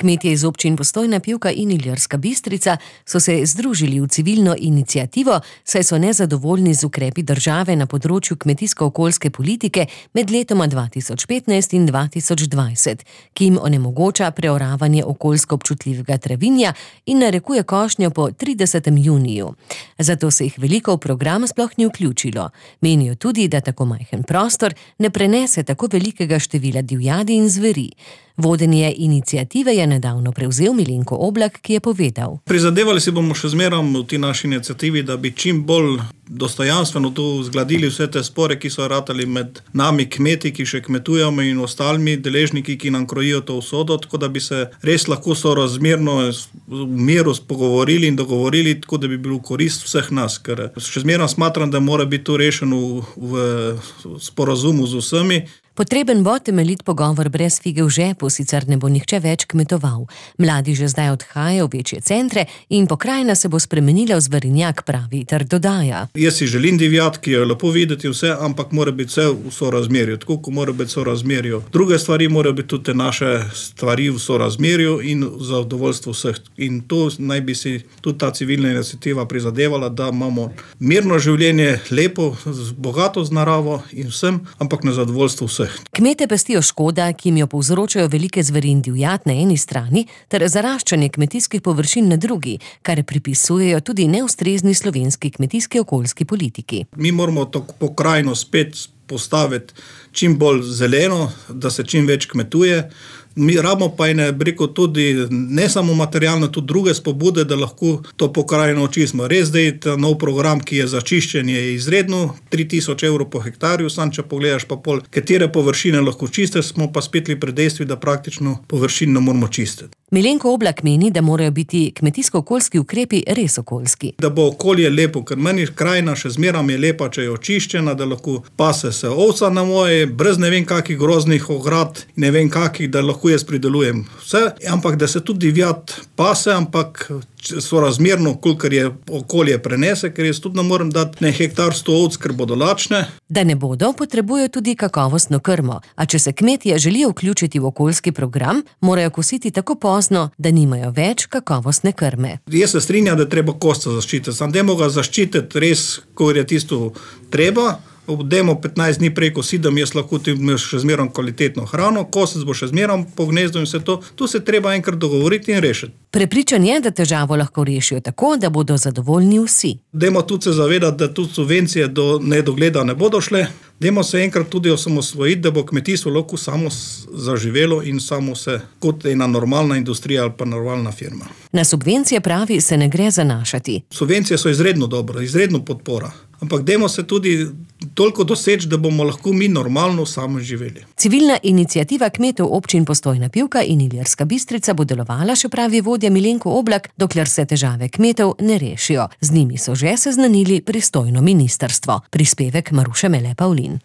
Kmetje iz občin Postojna Pivka in Ilirska Bistrica so se združili v civilno iniciativo, saj so nezadovoljni z ukrepi države na področju kmetijsko-okoljske politike med letoma 2015 in 2020, ki jim onemogoča preoravanje okoljsko občutljivega travinja in narekuje košnjo po 30. juniju. Zato se jih veliko v program sploh ni vključilo. Menijo tudi, da tako majhen prostor ne prenese tako velikega števila divjadi in zveri. Vodenje iniciative je nedavno prevzel Milenko Oblak, ki je povedal: Prizadevali si bomo še zmerom v ti naši iniciativi, da bi čim bolj dostojanstveno tu zgladili vse te spore, ki so ratali med nami kmeti, ki še kmetujemo, in ostalimi deležniki, ki nam krojijo to usodo, tako da bi se res lahko sorazmerno v miru pogovorili in dogovorili, tako da bi bilo v korist vseh nas. Ker še zmerom smatram, da mora biti to rešeno v sporazumu z vsemi. Potreben bo temeljit pogovor brez fige v žepu, sicer ne bo nihče več kmetoval. Mladi že zdaj odhajajo v večje centre in pokrajina se bo spremenila v zverinjak, pravi, ter dodaja: Jaz si želim divjad, ki jo je lepo videti vse, ampak mora biti vse v sorazmerju, tako kot mora biti v sorazmerju. Druge stvari morajo biti tudi naše stvari v sorazmerju in v zadovoljstvu vseh. In to naj bi si tudi ta civilna iniciativa prizadevala, da imamo mirno življenje, lepo, bogato z naravo in vsem, ampak na zadovoljstvo vseh. Kmete pestijo škoda, ki jim jo povzročajo velike zveri in divjad na eni strani, ter zaraščanje kmetijskih površin na drugi, kar pripisujejo tudi neustrezni slovenski kmetijski okoljski politiki. Mi moramo to pokrajino spet postaviti čim bolj zeleno, da se čim več kmetuje. Mi rabimo pa tudi ne samo materialno, tudi druge spodbude, da lahko to pokrajino očistimo. Res, da je ta nov program, ki je za čiščenje, je izredno, 3000 evrov po hektarju, sam če pogledaš pa pol, katere površine lahko čistiti, smo pa spet pri dejstvi, da praktično površin ne moramo čistiti. Milenko Oblak meni, da morajo biti kmetijsko-okoljski ukrepi res okoljski. Da bo okolje lepo, ker meni krajina še zmeram je lepa, če je očiščena, da lahko pase se ovca na moje, brez ne vem kakih groznih ograd, ne vem kakih, da lahko jaz pridelujem vse, ampak da se tudi divjad pase, ampak sorazmerno, kolikor je okolje prenese, ker jaz tudi ne morem dati ne hektar 100 ovc, ker bodo lačne. Da ne bodo, potrebujejo tudi kakovostno krmo, a če se kmetje želijo vključiti v okoljski program, morajo kositi tako pozno, da nimajo več kakovostne krme. Jaz se strinjam, da je treba kosca zaščititi, sam dajmo ga zaščititi res, ko je tisto treba. Dajmo 15 dni prej kosidem, jaz lahko ti imaš še zmerom kvalitetno hrano, kosec bo še zmerom po gnezdu in vse to. Tu se treba enkrat dogovoriti in rešiti. Prepričan je, da težavo lahko rešijo tako, da bodo zadovoljni vsi. Dajmo tudi se zavedati, da tudi subvencije do nedogleda ne bodo šle. Dajmo se enkrat tudi osamosvojiti, da bo kmetijstvo lahko samo zaživelo in samo se kot ena normalna industrija ali pa normalna firma. Na subvencije, pravi, se ne gre zanašati. Subvencije so izredno dobro, izredno podpora. Ampak dajmo se tudi toliko doseči, da bomo lahko mi normalno samo živeli. Civilna iniciativa kmetov občin Postojna Pivka in Ilirska Bistrica bo delovala, še pravi vodja Milenko Oblak, dokler se težave kmetov ne rešijo. Z njimi so že seznanili pristojno ministrstvo. Prispevek Maruše Mele Pavlin.